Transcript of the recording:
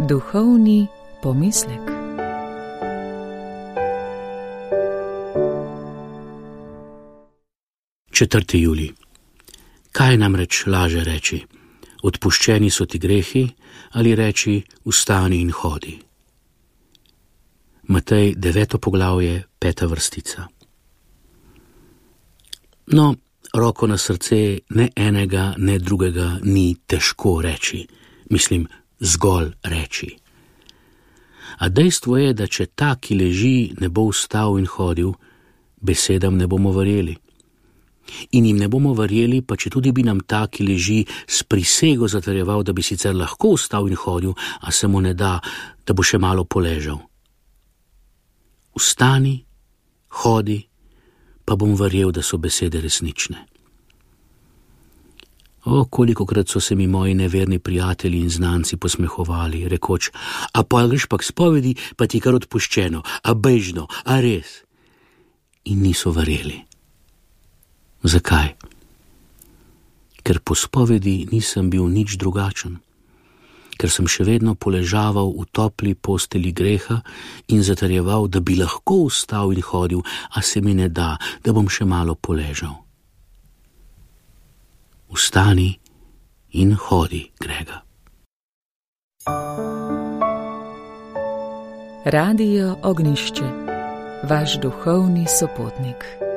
Duhovni pomislek. Četrti julij. Kaj namreč laže reči? Odpuščeni so ti grehi, ali reči vstani in hodi? Matej 9. poglavje, 5. vrstica. No, roko na srce, ne enega, ne drugega ni težko reči. Mislim, zgolj reči. A dejstvo je, da če ta, ki leži, ne bo vstal in hodil, besedam ne bomo verjeli. In jim ne bomo verjeli, pa če tudi bi nam ta, ki leži, s prisego zatrjeval, da bi sicer lahko vstal in hodil, a se mu ne da, da bo še malo poležal. Vstani, hodi, pa bom verjel, da so besede resnične. O, kolikokrat so se mi moji neverni prijatelji in znanci posmehovali, rekoč, a pa greš pa k spovedi, pa ti kar odpuščeno, a bežno, a res. In niso verjeli. Zakaj? Ker po spovedi nisem bil nič drugačen. Ker sem še vedno poležaval v topli posteli greha in zatrjeval, da bi lahko vstal in hodil, a se mi ne da, da bom še malo poležal. Vstani in hodi, Grega. Radio Ognjišče, vaš duhovni sopotnik.